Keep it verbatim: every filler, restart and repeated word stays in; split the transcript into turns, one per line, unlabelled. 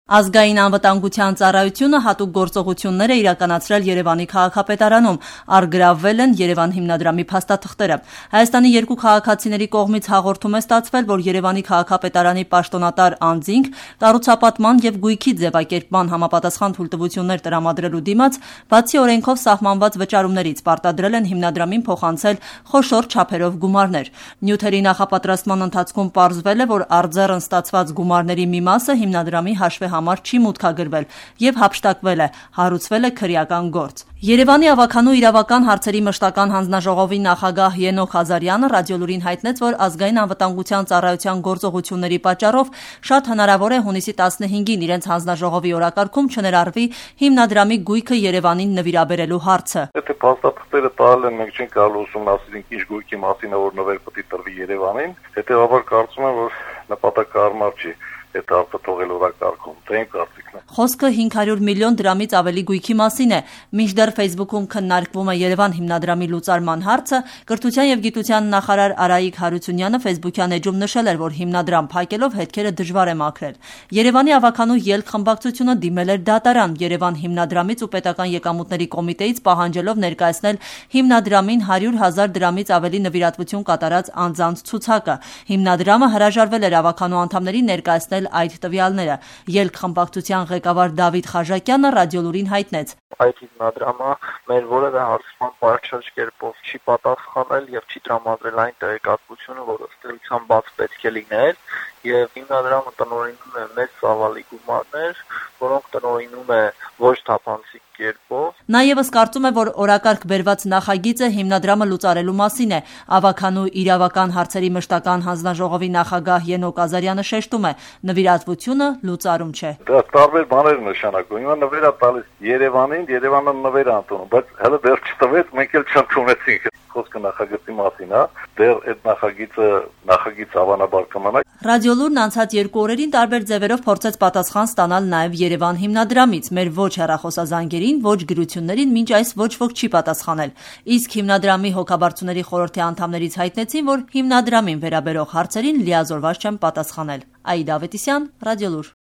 Ազգային անվտանգության ծառայությունը հատուկ գործողություններ է իրականացրել Երևանի քաղաքապետարանում, առգրավվել են Երևան հիմնադրամի փաստաթղթերը։ Հայաստանի երկու քաղաքացիների կողմից հաղորդում է ստացվել, որ Երևանի քաղաքապետարանի պաշտոնատար անձինք կառուցապատման եւ գույքի ձևակերպման համապատասխան թույլտվություններ տրամադրելու դիմաց, բացի օրենքով սահմանված վճարումներից պարտադրել են հիմնադրամին փոխանցել խոշոր չափերով գումարներ։ Նյութերի նախապատրաստման ընթացքում պարզվել է, որ արձեռն ստացված գումարների մի մասը հիմնադրամի հաշվի համար չի մուտքագրվել եւ հափշտակվել է, հարուցվել է քրեական գործ։ Երևանի ավականու իրավական հարցերի մշտական հանձնաժողովի նախագահ Ենոք Ղազարյանը ռադիոլուրին հայտնեց, որ ազգային անվտանգության ծառայության գործողությունների պատճառով շատ հնարավոր է հունիսի տասնհինգին իրենց հանձնաժողովի օրակարգում չներառվի հիմնադրամի գույքը Երևանին նվիրաբերելու հարցը։
Եթե փաստաթղթերը տալ են, մենք չենք կարող ուսումնասիրենք ինչ գույքի մասին է, որ նվեր պետք է տրվի Երևանին, հետեւաբար կարծում եմ, որ նպատակահարմար չի այդ հարցը թողել օրակարգում, դա իմ կարծիքն է։
Խոսքը հինգ հարյուր միլիոն դրամից ավելի գույքի մասին է։ Մինչդեռ Facebook-ում քննարկվում է Երևան հիմնադրամի լուծարման հարցը, կրթության եւ գիտության նախարար Արայիկ Հարությունյանը Facebook-յան էջում նշել էր, որ հիմնադրամ փակելով հետքերը դժվար է մաքրել։ Երևանի ավականու ելք խմբակցությունը դիմել էր դատարան Երևան հիմնադրամից ու պետական եկամուտների կոմիտեից պահանջելով ներկայացնել հիմնադրամին հարյուր հազար դրամից ավելի նվիրատվություն կատարած անձանց ցուցակը։ Հիմնադրամը հրաժարվել էր ավականու անդամներին ներկայացնել այդ տվյալները։ Ելք խմբակցության ղեկավար Դավիթ Խաժակյանը ռադիոլուրին հայտնեց.
Այդ հիմնադրամը մեր որևէ հարցման պարզիչ կերպով չի պատասխանել եւ չի տրամադրել այն տեղեկատվությունը, որը ըստ էության բաց պետք է լիներ, եւ հիմնադրամը տնօրինում է մեծ ծավալի գումարներ, որոնք տնօրինում է ոչ թափանցիկ կերպով։
Նա եւս կարծում է, որ օրակարգ բերված նախագիծը հիմնադրամը լուծարելու մասին է։ Ավականու իրավական հարցերի մշտական հանձնաժողովի նախագահ Ենոք Ղազարյանը շեշտում է, նվիրատվությունը լուծարում չէ։
Դա տարբեր բաներ նշանակում։ Հիմա նվեր է տալիս Երևանին, Երևանը նվեր է ընդունում, բայց հələ դեռ չտվեց, մենք էլ չընդունեցինք։ Խոսքը նախագծի մասին է, դեռ այդ նախագիծը նախագիծ հավանաբար կմնա։
Ռադիոլուրն անցած երկու օրերին տարբեր ձևերով փորձեց պատասխան ստանալ նաև Երևան հիմնադրամից։ Մեր ոչ հեռախոսազանգերին, ոչ գրություններին մինչ այս ոչ ոք չի պատասխանել։ Իսկ հիմնադրամի հոգաբարձուների խորհրդի անդամներից հայտնեցին, որ հիմնադրամին վերաբերող հարցերին լիազորված չեն պատասխանել։ Աիդա Ավետիսյան, Ռադիոլուր։